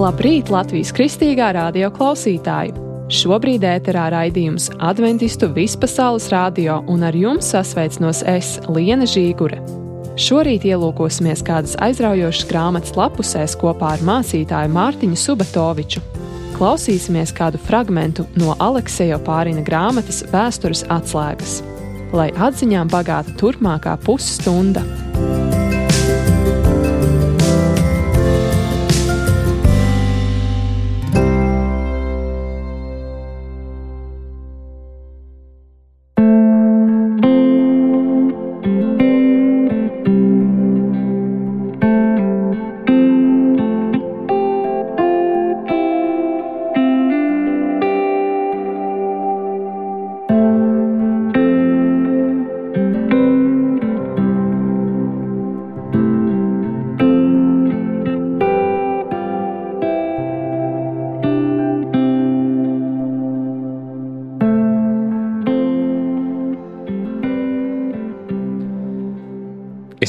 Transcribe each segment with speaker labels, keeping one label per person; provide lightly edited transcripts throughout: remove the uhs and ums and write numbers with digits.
Speaker 1: Labrīt, Latvijas Kristīgā radio klausītāji! Šobrīd ēterā raidījums Adventistu Vispasaules radio un ar jums sasveicinos es, Liene Žīgure. Šorīt ielūkosimies kādas aizraujošas grāmatas lapusēs kopā ar mācītāju Mārtiņu Subatoviču. Klausīsimies kādu fragmentu no Alekseja Opārina grāmatas Vēstures atslēgas. Lai atziņām bagāta turpmākā pusstunda.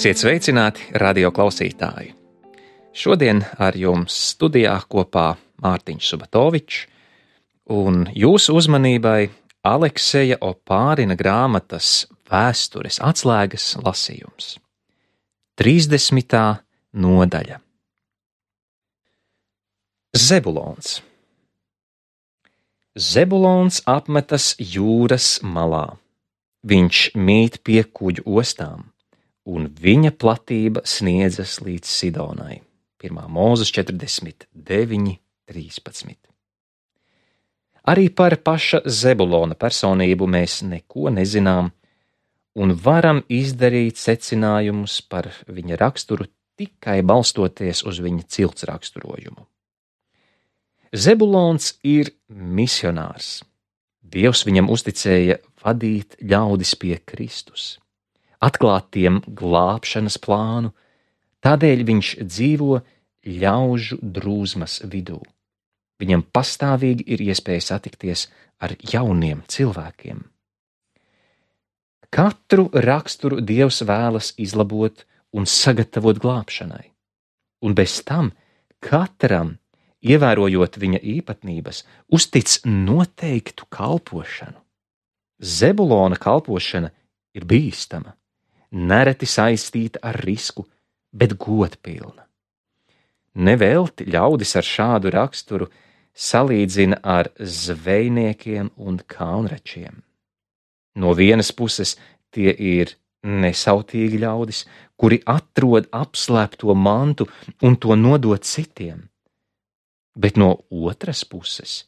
Speaker 2: Esiet sveicināti, radio klausītāji! Šodien ar jums studijā kopā Mārtiņš Subatovičs un jūsu uzmanībai Alekseja Opārina grāmatas Vēstures atslēgas lasījums. 30. nodaļa. Zebulons. Zebulons apmetas jūras malā. Viņš mīt pie kuģu ostām, un viņa platība sniedzas līdz Sidonai. 1. Mūzes 49, 13. Arī par paša Zebulona personību mēs neko nezinām un varam izdarīt secinājumus par viņa raksturu tikai balstoties uz viņa cilts raksturojumu. Zebulons ir misionārs. Dievs viņam uzticēja vadīt ļaudis pie Kristus, atklāt tiem glābšanas plānu, tādēļ viņš dzīvo ļaužu drūzmas vidū. Viņam pastāvīgi ir iespēja satikties ar jauniem cilvēkiem. Katru raksturu Dievs vēlas izlabot un sagatavot glābšanai, un bez tam katram, ievērojot viņa īpatnības, uztic noteiktu kalpošanu. Zebulona kalpošana ir bīstama, nereti saistīta ar risku, bet godpilna. Nevelti ļaudis ar šādu raksturu salīdzina ar zvejniekiem un kaunračiem. No vienas puses tie ir nesautīgi ļaudis, kuri atrod apslēpto mantu un to nodod citiem, bet no otras puses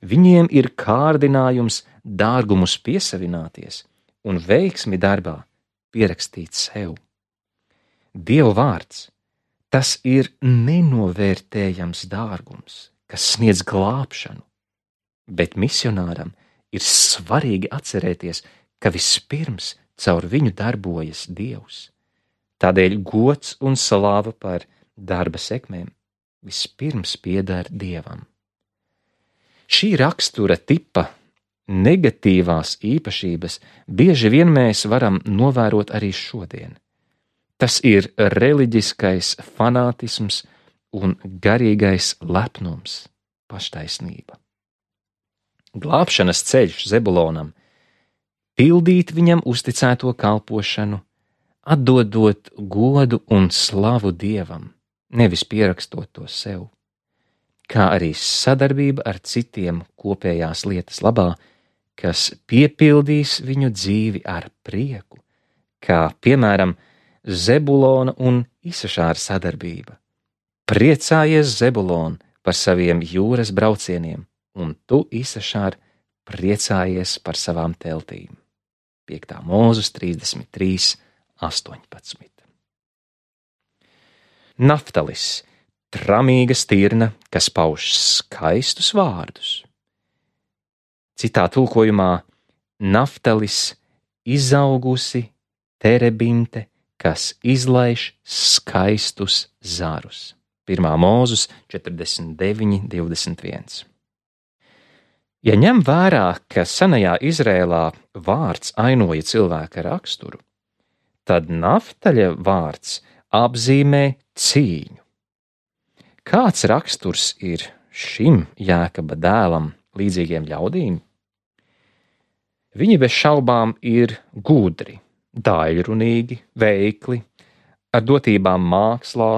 Speaker 2: viņiem ir kārdinājums dārgumus piesavināties un veiksmi darbā pierakstīt sev. Dieva vārds, tas ir nenovērtējams dārgums, kas sniedz glābšanu, bet misionāram ir svarīgi atcerēties, ka vispirms caur viņu darbojas Dievs. Tādēļ gods un slāva par darba sekmēm vispirms pieder Dievam. Šī rakstura tipa negatīvās īpašības bieži vien mēs varam novērot arī šodien. Tas ir reliģiskais fanātisms un garīgais lepnums, paštaisnība. Glābšanas ceļš Zebulonam pildīt viņam uzticēto kalpošanu, atdodot godu un slavu Dievam, nevis pierakstot to sev, kā arī sadarbība ar citiem kopējās lietas labā, kas piepildīs viņu dzīvi ar prieku, kā, piemēram, Zebulona un Isašāra sadarbība. Priecājies, Zebulon, par saviem jūras braucieniem, un tu, Isašār, priecājies par savām teltīm. 5. Mūzes 33, 18. Naftalis, tramīga stirna, kas pauž skaistus vārdus. Citā tulkojumā Naftalis izaugusi terebinte, kas izlaiž skaistus zarus. 1. Mūzes 49, 21. Ja ņem vērā, ka senajā Izrēlā vārds ainoja cilvēka raksturu, tad Naftaļa vārds apzīmē cīņu. Kāds raksturs ir šim Jēkaba dēlam līdzīgiem ļaudīm? Viņi bez šaubām ir gudri, daļrunīgi, veikli, ar dotībām mākslā,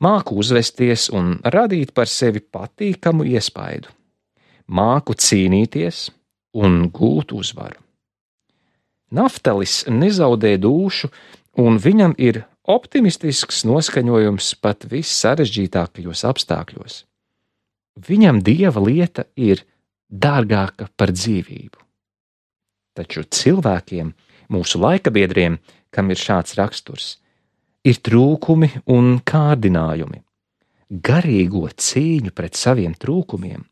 Speaker 2: māku uzvesties un radīt par sevi patīkamu iespaidu, māku cīnīties un gūt uzvaru. Naftalis nezaudē dūšu, un viņam ir optimistisks noskaņojums pat vissarežģītākajos apstākļos. Viņam Dieva lieta ir dārgāka par dzīvību. Taču cilvēkiem, mūsu laikabiedriem, kam ir šāds raksturs, ir trūkumi un kārdinājumi, garīgo cīņu pret saviem trūkumiem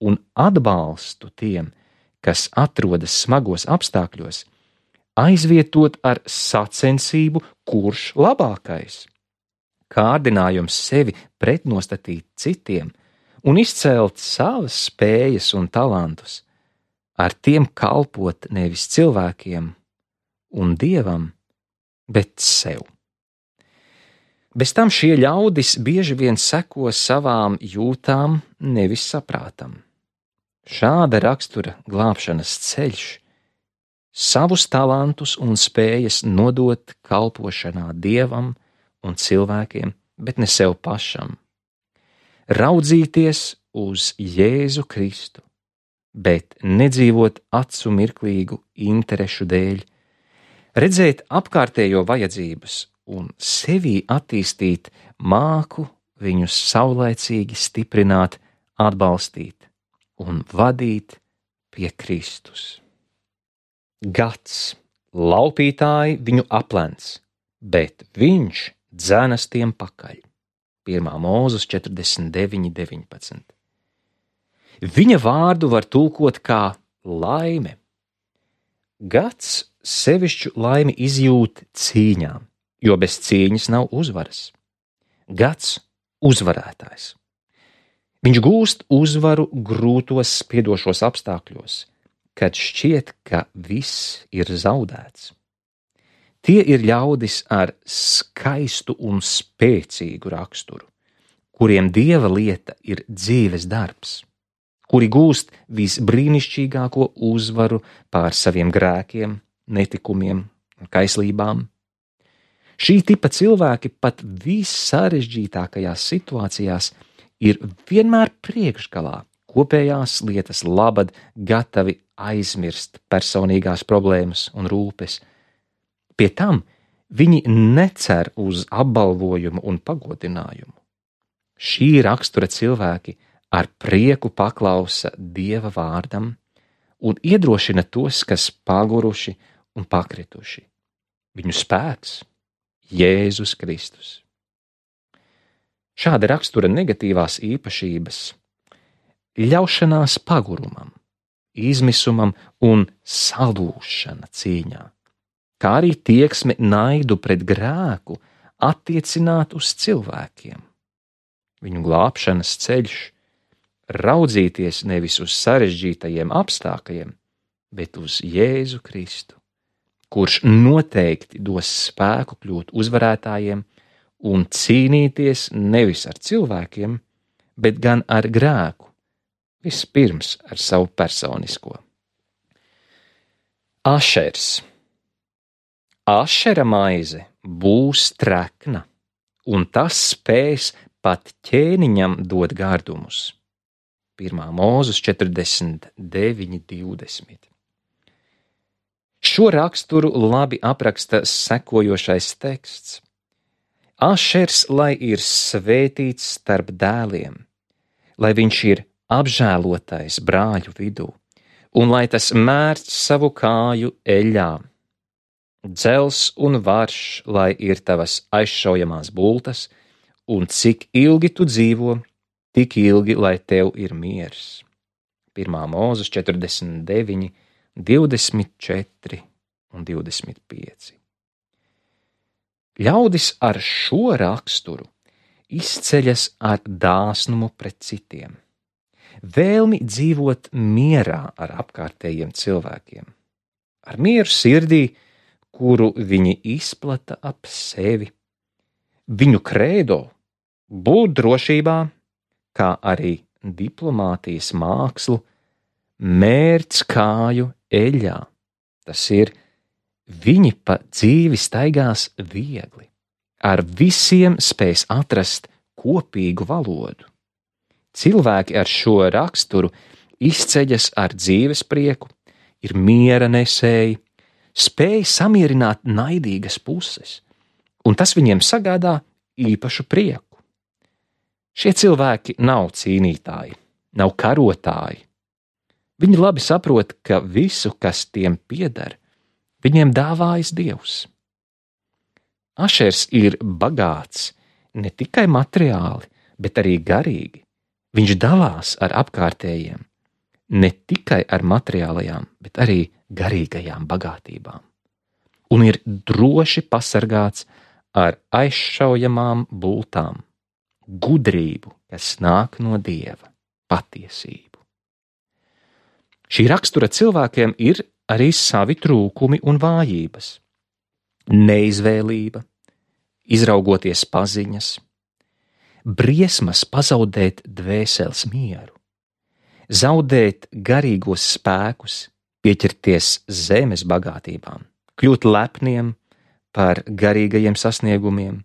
Speaker 2: un atbalstu tiem, kas atrodas smagos apstākļos, aizvietot ar sacensību, kurš labākais, kārdinājums sevi pretnostatīt citiem un izcelt savas spējas un talantus, ar tiem kalpot nevis cilvēkiem un Dievam, bet sev. Bez tam šie ļaudis bieži vien seko savām jūtām, nevis saprātam. Šāda rakstura glābšanas ceļš savus talantus un spējas nodot kalpošanā Dievam un cilvēkiem, bet ne sev pašam. Raudzīties uz Jēzu Kristu, bet nedzīvot acu mirklīgu interešu dēļ, redzēt apkārtējo vajadzības un sevī attīstīt māku viņus saulaicīgi stiprināt, atbalstīt un vadīt pie Kristus. Gads, laupītāji viņu aplenc, bet viņš dzenas tiem pakaļ. 1. Mūzes 49:19. Viņa vārdu var tulkot kā laime. Gads sevišķu laimi izjūt cīņā, jo bez cīņas nav uzvaras. Gads uzvarētājs. Viņš gūst uzvaru grūtos spiedošos apstākļos, kad šķiet, ka viss ir zaudēts. Tie ir ļaudis ar skaistu un spēcīgu raksturu, kuriem Dieva lieta ir dzīves darbs, kuri gūst visbrīnišķīgāko uzvaru pār saviem grēkiem, netikumiem un kaislībām. Šī tipa cilvēki pat vissarežģītākajās situācijās ir vienmēr priekšgalā, kopējās lietas labad gatavi aizmirst personīgās problēmas un rūpes. Pie tam viņi necer uz apbalvojumu un pagodinājumu. Šī rakstura cilvēki ar prieku paklausa Dieva vārdam un iedrošina tos, kas paguruši un pakrituši. Viņu spēks Jēzus Kristus. Šāda rakstura negatīvās īpašības ļaušanās pagurumam, izmisumam un salūšana cīņā, kā arī tieksme naidu pret grēku attiecināt uz cilvēkiem. Viņu glābšanas ceļš raudzīties nevis uz sarežģītajiem apstākļiem, bet uz Jēzu Kristu, kurš noteikti dos spēku kļūt uzvarētājiem un cīnīties nevis ar cilvēkiem, bet gan ar grēku, vispirms ar savu personisko. Ašers. Ašera maize būs trekna, un tas spēs pat ķēniņam dot gardumus. 1. Mūzes 49:20. Šo raksturu labi apraksta sekojošais teksts. Ašers, lai ir svētīts starp dēliem, lai viņš ir apžēlotais brāļu vidū, un lai tas mērc savu kāju eļļā. Dzels un varš, lai ir tavas aizšaujamās bultas, un cik ilgi tu dzīvo, tik ilgi, lai tev ir miers. 1. Mūzes 49:24 un 25. Ļaudis ar šo raksturu izceļas ar dāsnumu pret citiem, vēlmi dzīvot mierā ar apkārtējiem cilvēkiem, ar mieru sirdī, kuru viņi izplata ap sevi. Viņu krēdo būt drošībā, kā arī diplomātijas mākslu, mērc kāju eļļā. Tas ir, viņi pa dzīvi staigās viegli, ar visiem spēs atrast kopīgu valodu. Cilvēki ar šo raksturu izceļas ar dzīves prieku, ir miera nesēji, spēj samierināt naidīgas puses, un tas viņiem sagādā īpašu prieku. Šie cilvēki nav cīnītāji, nav karotāji. Viņi labi saprot, ka visu, kas tiem pieder, viņiem dāvājas Dievs. Ašers ir bagāts ne tikai materiāli, bet arī garīgi. Viņš dalās ar apkārtējiem, ne tikai ar materiālajām, bet arī garīgajām bagātībām. Un ir droši pasargāts ar aizšaujamām bultām, gudrību, kas nāk no Dieva, patiesību. Šī rakstura cilvēkiem ir arī savi trūkumi un vājības. Neizvēlība, izraugoties paziņas, briesmas pazaudēt dvēseles mieru, zaudēt garīgos spēkus, pieķerties zemes bagātībām, kļūt lepniem par garīgajiem sasniegumiem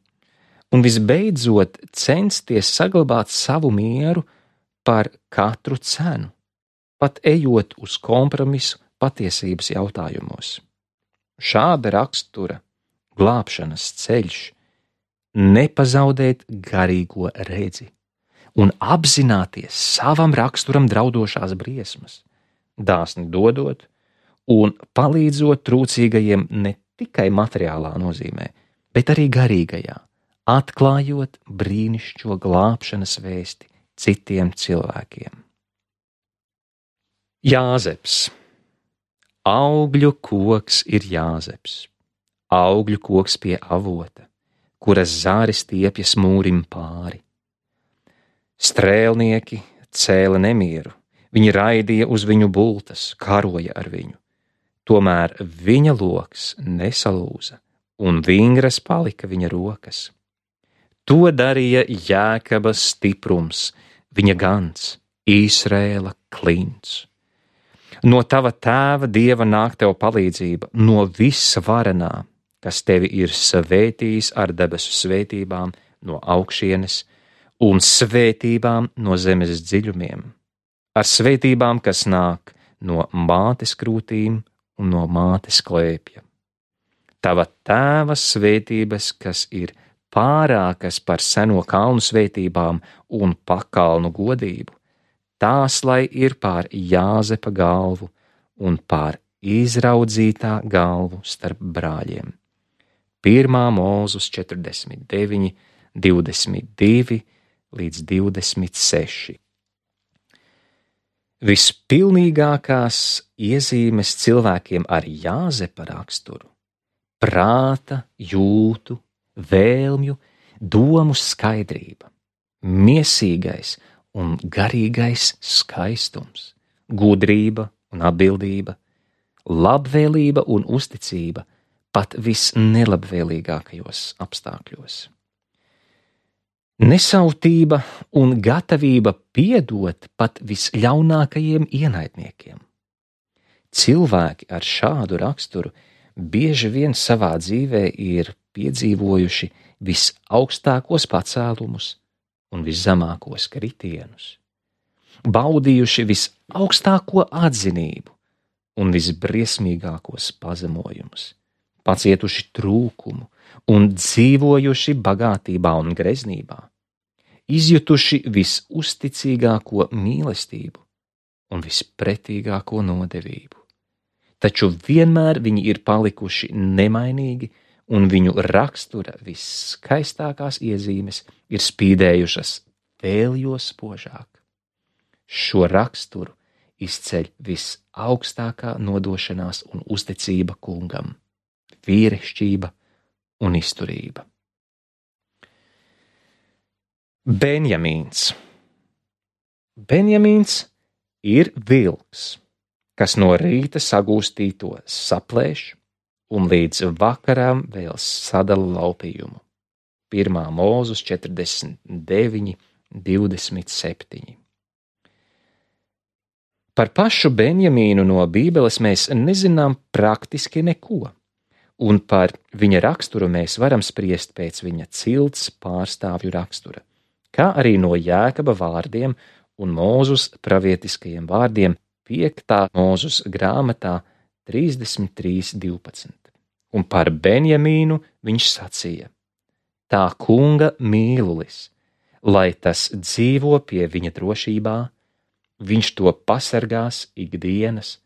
Speaker 2: un visbeidzot censties saglabāt savu mieru par katru cenu, pat ejot uz kompromisu patiesības jautājumos. Šāda rakstura glābšanas ceļš nepazaudēt garīgo redzi un apzināties savam raksturam draudošās briesmas, dāsni dodot un palīdzot trūcīgajiem ne tikai materiālā nozīmē, bet arī garīgajā, atklājot brīnišķo glābšanas vēsti citiem cilvēkiem. Jāzeps. Augļu koks ir jāzeps, augļu koks pie avota, kuras zāris stiepjas mūrim pāri. Strēlnieki cēla nemieru, viņi raidīja uz viņu bultas, karoja ar viņu. Tomēr viņa loks nesalūza, un vingras palika viņa rokas. To darīja Jēkaba stiprums, viņa gans, Īsraēla klints. No tava tēva Dieva nāk tev palīdzība, no visvarenā, kas tevi ir svētījis ar debesu svētībām no augšienes un svētībām no zemes dziļumiem, ar svētībām, kas nāk no mātes krūtīm un no mātes klēpja. Tava tēva svētības, kas ir pārākas par seno kalnu svētībām un pakalnu godību, tās lai ir pār Jāzepa galvu un pār izraudzītā galvu starp brāļiem. 1. Mūzes 49, 22 līdz 26. Vispilnīgākās iezīmes cilvēkiem ar Jāzepa raksturu – prāta, jūtu, vēlmju, domu skaidrība, miesīgais un garīgais skaistums, gudrība un atbildība, labvēlība un uzticība pat visnelabvēlīgākajos apstākļos. Nesautība un gatavība piedot pat visļaunākajiem ienaidniekiem. Cilvēki ar šādu raksturu bieži vien savā dzīvē ir piedzīvojuši visaugstākos pacēlumus un viszemākos kritienus, baudījuši visaugstāko atzinību un visbriesmīgākos pazemojumus, pacietuši trūkumu un dzīvojuši bagātībā un greznībā, izjutuši visuzticīgāko mīlestību un vispretīgāko nodevību. Taču vienmēr viņi ir palikuši nemainīgi, un viņu rakstura visskaistākās iezīmes ir spīdējušas vēl jo spožāk. Šo raksturu izceļ visaugstākā nodošanās un uzticība kungam, vīrišķība un izturība. Benjamīns. Benjamīns ir vilks, kas no rīta sagūstīto saplēš un līdz vakaram vēl sadala laupījumu. 1. Mūzes 49, 27. Par pašu Benjamīnu no Bībeles mēs nezinām praktiski neko, un par viņa raksturu mēs varam spriest pēc viņa cilts pārstāvju rakstura, kā arī no Jēkaba vārdiem un Mūzus pravietiskajiem vārdiem 5. Mūzus grāmatā 33.12. Un par Benjamīnu viņš sacīja: tā kunga mīlulis, lai tas dzīvo pie viņa drošībā, viņš to pasargās ikdienas,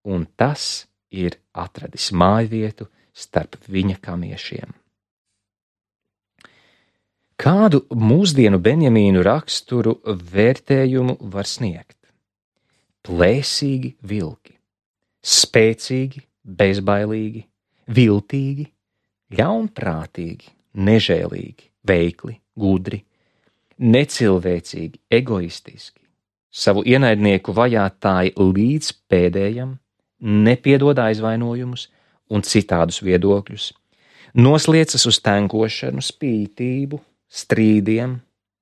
Speaker 2: un tas ir atradis mājvietu starp viņa kamiešiem. Kādu mūsdienu Benjamīnu raksturu vērtējumu var sniegt? Plēsīgi vilki, spēcīgi, bezbailīgi, viltīgi, ļaunprātīgi, nežēlīgi, veikli, gudri, necilvēcīgi, egoistiski, savu ienaidnieku vajātāji līdz pēdējam, nepiedod aizvainojumus un citādus viedokļus, nosliecas uz tenkošanu, spītību, strīdiem,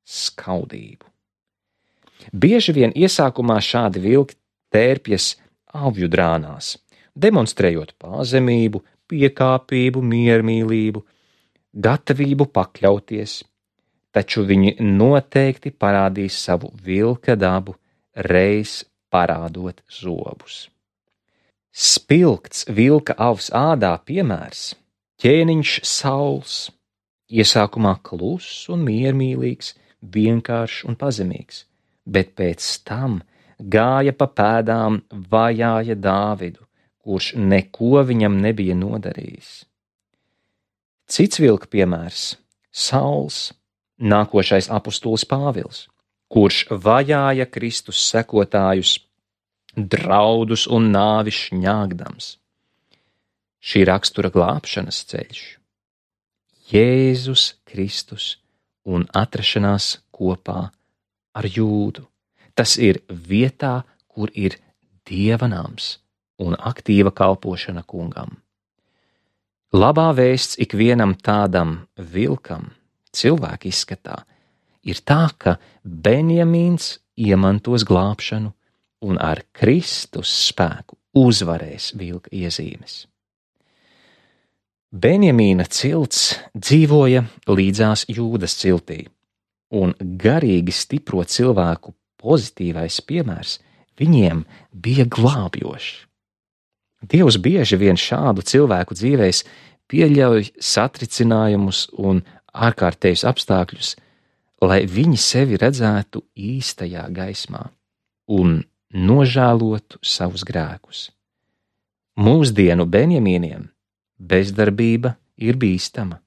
Speaker 2: skaudību. Bieži vien iesākumā šādi vilki tērpjas avju drānās, demonstrējot pazemību, piekāpību, miermīlību, gatavību pakļauties, taču viņi noteikti parādīs savu vilka dabu, reiz parādot zobus. Spilgts vilka avs ādā piemērs – ķēniņš Sauls, iesākumā kluss un miermīlīgs, vienkāršs un pazemīgs, bet pēc tam gāja pa pēdām, vajāja Dāvidu, kurš neko viņam nebija nodarījis. Cits vilka piemērs – Sauls, nākošais apustulis Pāvils, kurš vajāja Kristus sekotājus, draudus un nāvi šņāgdams. Šī rakstura glābšanas ceļš – Jēzus Kristus un atrašanās kopā ar Jūdu. Tas ir vietā, kur ir Dieva nams un aktīva kalpošana kungam. Labā vēsts ikvienam tādam vilkam, cilvēka izskatā, ir tā, ka Benjamīns iemantos glābšanu un ar Kristus spēku uzvarēs vilka iezīmes. Benjamīna cilts dzīvoja līdzās Jūdas ciltī, un garīgi stipro cilvēku pozitīvais piemērs viņiem bija glābjošs. Dievs bieži vien šādu cilvēku dzīvēs pieļauj satricinājumus un ārkārtējus apstākļus, lai viņi sevi redzētu īstajā gaismā un nožēlotu savus grēkus. Mūsdienu Benjamīniem bezdarbība ir bīstama,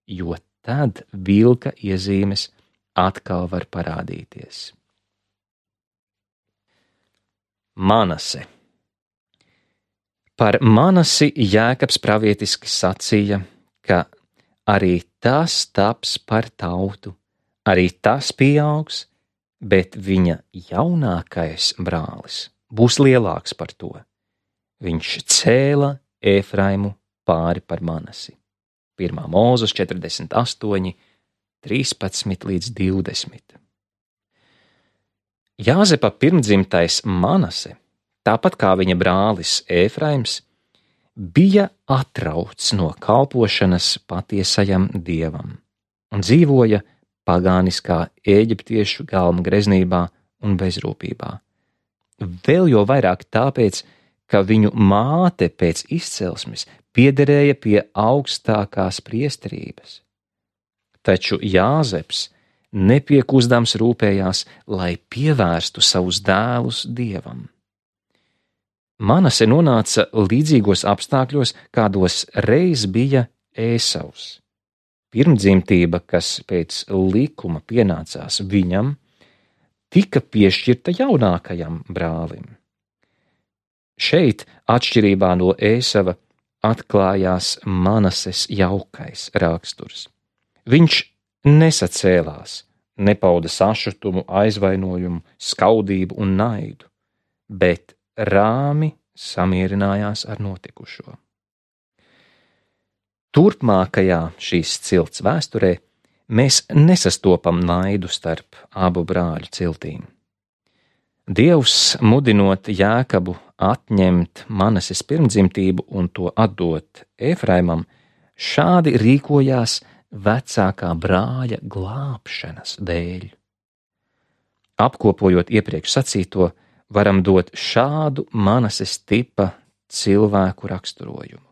Speaker 2: jo tad vilka iezīmes atkal var parādīties. Manase. Par Manasi Jēkabs pravietiski sacīja, ka arī tas taps par tautu, arī tas pieaugs, bet viņa jaunākais brālis būs lielāks par to. Viņš cēla Efraimu pāri par Manasi. 1. Mūzus 48, 13 līdz 20. Jāzepa pirmdzimtais Manase, tāpat kā viņa brālis Efraims, bija atrauts no kalpošanas patiesajam Dievam un dzīvoja pagāniskā eģiptiešu galmu greznībā un bezrūpībā. Vēl jo vairāk tāpēc, ka viņu māte pēc izcelsmes piederēja pie augstākās priesterības. Taču Jāzeps nepiekustams rūpējās, lai pievērstu savus dēlus Dievam. Manase nonāca līdzīgos apstākļos, kādos reiz bija Ēsavs. Pirmdzimtība, kas pēc likuma pienācās viņam, tika piešķirta jaunākajam brālim. Šeit, atšķirībā no Ēsava, atklājās Manases jaukais raksturs. Viņš nesacēlās, nepauda sašutumu, aizvainojumu, skaudību un naidu, bet rāmi samierinājās ar notikušo. Turpmākajā šīs cilts vēsturē mēs nesastopam naidu starp abu brāļu ciltīm. Dievs, mudinot Jēkabu atņemt Manases pirmdzimtību un to atdot Efraimam, šādi rīkojās vecākā brāļa glābšanas dēļ. Apkopojot iepriekš sacīto, varam dot šādu Manases tipa cilvēku raksturojumu.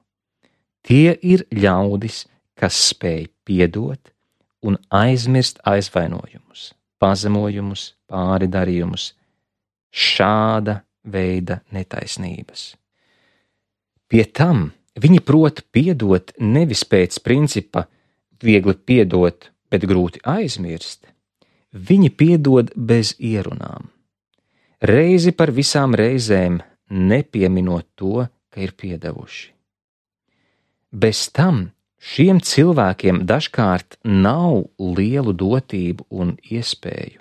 Speaker 2: Tie ir ļaudis, kas spēj piedot un aizmirst aizvainojumus, pazemojumus, pāridarījumus, šāda veida netaisnības. Pie tam viņi prot piedot nevis pēc principa viegli piedot, bet grūti aizmirst. Viņi piedod bez ierunām. Reizi par visām reizēm nepieminot to, ka ir piedevuši. Bez tam šiem cilvēkiem dažkārt nav lielu dotību un iespēju,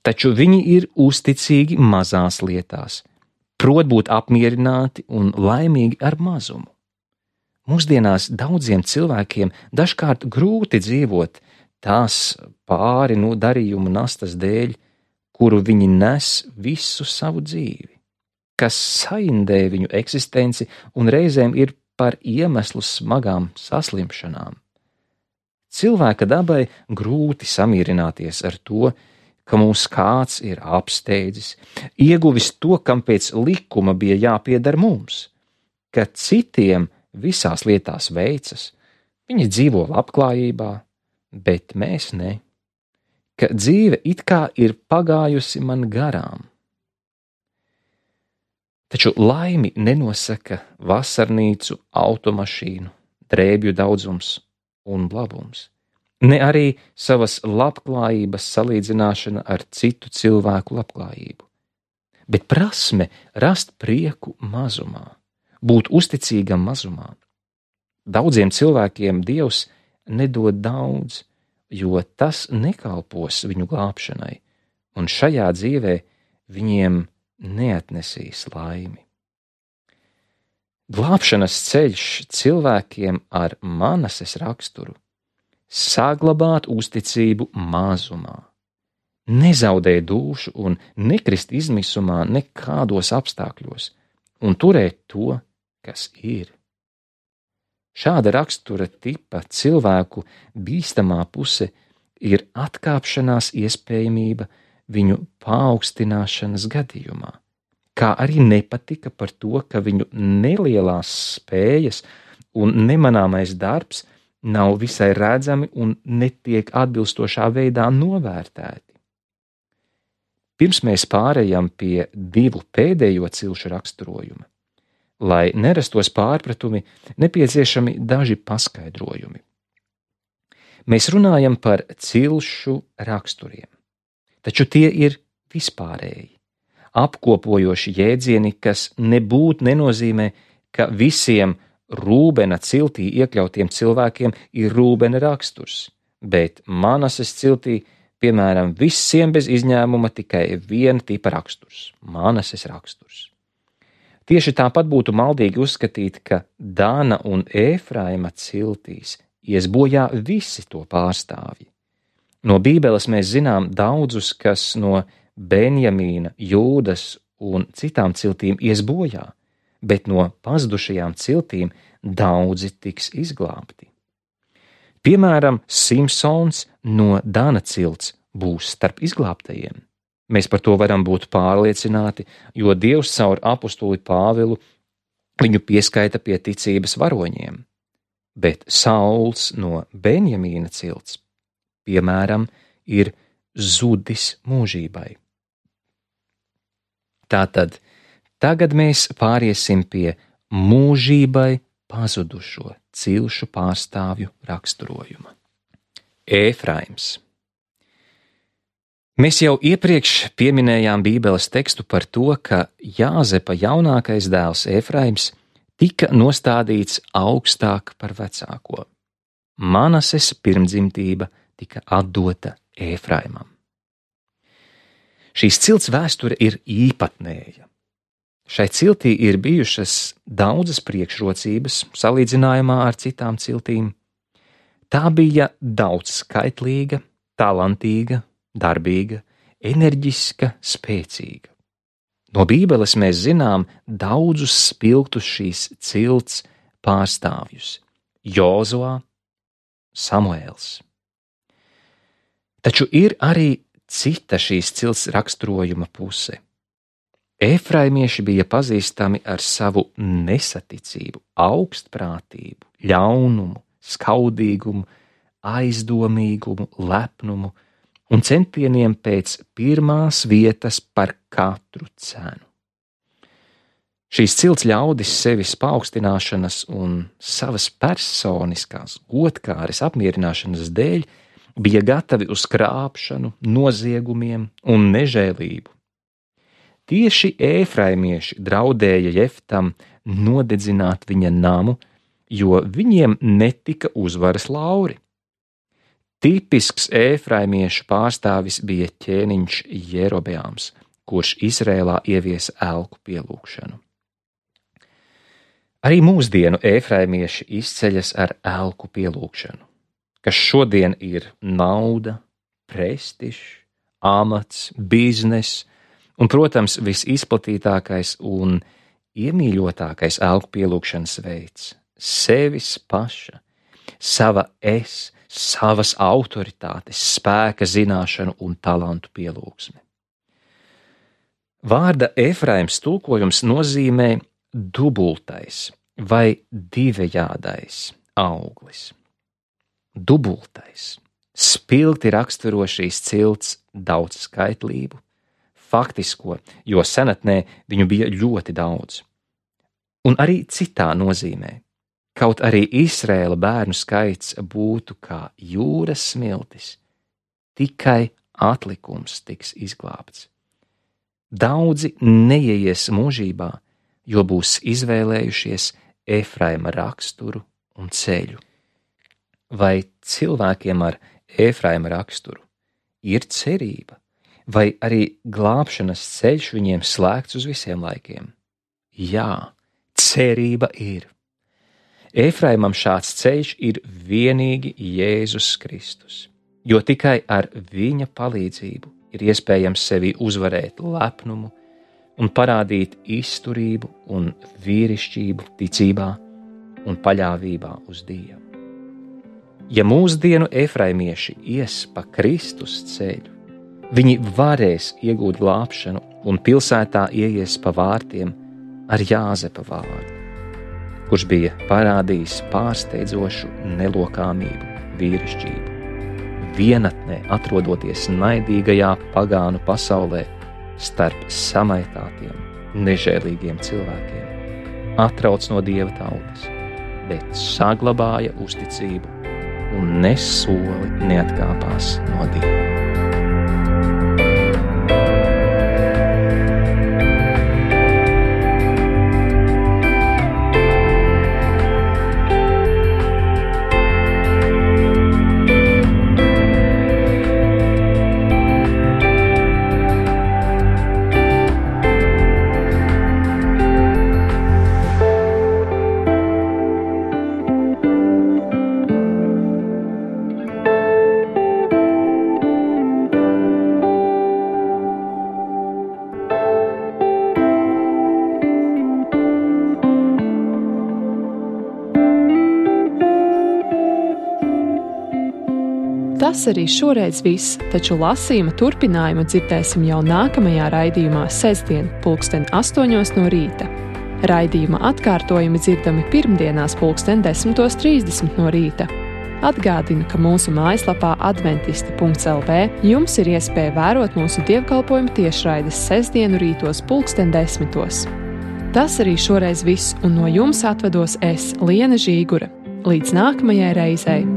Speaker 2: taču viņi ir uzticīgi mazās lietās, prot būt apmierināti un laimīgi ar mazumu. Mūsdienās daudziem cilvēkiem dažkārt grūti dzīvot tās pāri no darījumu nastas dēļ, kuru viņi nes visu savu dzīvi, kas saindē viņu eksistenci un reizēm ir par iemeslu smagām saslimšanām. Cilvēka dabai grūti samierināties ar to, ka mūs kāds ir apsteidzis, ieguvis to, kam pēc likuma bija jāpieder mums, ka citiem visās lietās veicas, viņi dzīvo labklājībā, bet mēs ne, ka dzīve it kā ir pagājusi man garām. Taču laimi nenosaka vasarnīcu, automašīnu, drēbju daudzums un labums, ne arī savas labklājības salīdzināšana ar citu cilvēku labklājību, bet prasme rast prieku mazumā, būt uzticīgam mazumā. Daudziem cilvēkiem Dievs nedod daudz, jo tas nekalpos viņu glābšanai, un šajā dzīvē viņiem neatnesīs laimi. Glābšanas ceļš cilvēkiem ar Manases raksturu saglabāt uzticību mazumā, nezaudēt dušu un nekrist izmisumā nekādos apstākļos un turēt to, kas ir. Šāda rakstura tipa cilvēku bīstamā puse ir atkāpšanās iespējamība viņu paaugstināšanas gadījumā, kā arī nepatika par to, ka viņu nelielās spējas un nemanāmais darbs nav visai redzami un netiek atbilstošā veidā novērtēti. Pirms mēs pārējām pie 2 pēdējo cilšu raksturojuma, lai nerastos pārpratumi, nepieciešami daži paskaidrojumi. Mēs runājam par cilšu raksturiem, taču tie ir vispārēji, apkopojoši jēdzieni, kas nebūtu nenozīmē, ka visiem Rūbena ciltī iekļautiem cilvēkiem ir Rūbena raksturs, bet Manases ciltī, piemēram, visiem bez izņēmuma tikai viena tipa raksturs – Manases raksturs. Tieši tāpat būtu maldīgi uzskatīt, ka Dana un Efraima ciltīs ies bojā visi to pārstāvji. No Bībeles mēs zinām daudzus, kas no Benjamīna, Jūdas un citām ciltīm ies bojā, bet no pazudušajām ciltīm daudzi tiks izglābti. Piemēram, Simsons no Dana cilts būs starp izglābtajiem. Mēs par to varam būt pārliecināti, jo Dievs caur apostuli Pāvilu viņu pieskaita pie ticības varoņiem. Bet Sauls no Benjamīna cilts, piemēram, ir zudis mūžībai. Tātad tagad mēs pāriesim pie mūžībai pazudušo cilšu pārstāvju raksturojuma. Efraims. Mēs jau iepriekš pieminējām Bībeles tekstu par to, ka Jāzepa jaunākais dēls Efraims tika nostādīts augstāk par vecāko. Manases pirmdzimtība tika atdota Efraimam. Šīs cilts vēsture ir īpatnēja. Šai ciltī ir bijušas daudzas priekšrocības salīdzinājumā ar citām ciltīm. Tā bija daudzskaitlīga, talantīga, darbīga, enerģiska, spēcīga. No Bībeles mēs zinām daudzus spilgtus šīs cilts pārstāvjus – Jozuā, Samuēls. Taču ir arī cita šīs cilts raksturojuma puse. Efraimieši bija pazīstami ar savu nesaticību, augstprātību, ļaunumu, skaudīgumu, aizdomīgumu, lepnumu un centieniem pēc pirmās vietas par katru cenu. Šīs cilts ļaudis sevis paaugstināšanas un savas personiskās godkāres apmierināšanas dēļ bija gatavi uz krāpšanu, noziegumiem un nežēlību. Tieši efraimieši draudēja Jeftam nodedzināt viņa namu, jo viņiem netika uzvaras lauri. Tipisks efraimiešu pārstāvis bija ķēniņš Jerobeāms, kurš Izrēlā ieviesa elku pielūgšanu. Arī mūsdienu efraimieši izceļas ar elku pielūgšanu, kas šodien ir nauda, prestižs, amats, bizness un, protams, visizplatītākais un iemīļotākais elku pielūgšanas veids – sevis paša, sava es, savas autoritātes, spēka zināšanu un talantu pielūgsme. Vārda Efraims tulkojums nozīmē dubultais vai divējādais auglis. Dubultais spilgti raksturo šīs cilts daudzskaitlību, faktisko, jo senatnē viņu bija ļoti daudz. Un arī citā nozīmē, kaut arī Izraēla bērnu skaits būtu kā jūras smiltis, tikai atlikums tiks izglābts. Daudzi neieies mūžībā, jo būs izvēlējušies Efraima raksturu un ceļu. Vai cilvēkiem ar Efraima raksturu ir cerība, vai arī glābšanas ceļš viņiem slēgts uz visiem laikiem? Jā, cerība ir. Efraimam šāds ceļš ir vienīgi Jēzus Kristus, jo tikai ar viņa palīdzību ir iespējams sevi uzvarēt lepnumu un parādīt izturību un vīrišķību ticībā un paļāvībā uz Dievu. Ja mūsdienu efraimieši ies pa Kristus ceļu, viņi varēs iegūt glābšanu un pilsētā ieies pa vārtiem ar Jāzepa vārdu, kurš bija parādījis pārsteidzošu nelokāmību, vīrišķību, vienatnē atrodoties naidīgajā pagānu pasaulē starp samaitātiem, nežēlīgiem cilvēkiem, atrauc no Dieva tautas, bet saglabāja uzticību un ne soli neatkāpās no Dieva.
Speaker 1: Tas arī šoreiz viss, taču lasījuma turpinājumu dzirdēsim jau nākamajā raidījumā sestdien, 8:00 no rīta. Raidījuma atkārtojumi dzirdami pirmdienās 10:30 no rīta. Atgādinu, ka mūsu mājaslapā adventisti.lv jums ir iespēja vērot mūsu dievkalpojumu tiešraides sestdienu rītos 10:10. Tas arī šoreiz viss, un no jums atvados es, Liena Žīgure. Līdz nākamajai reizei!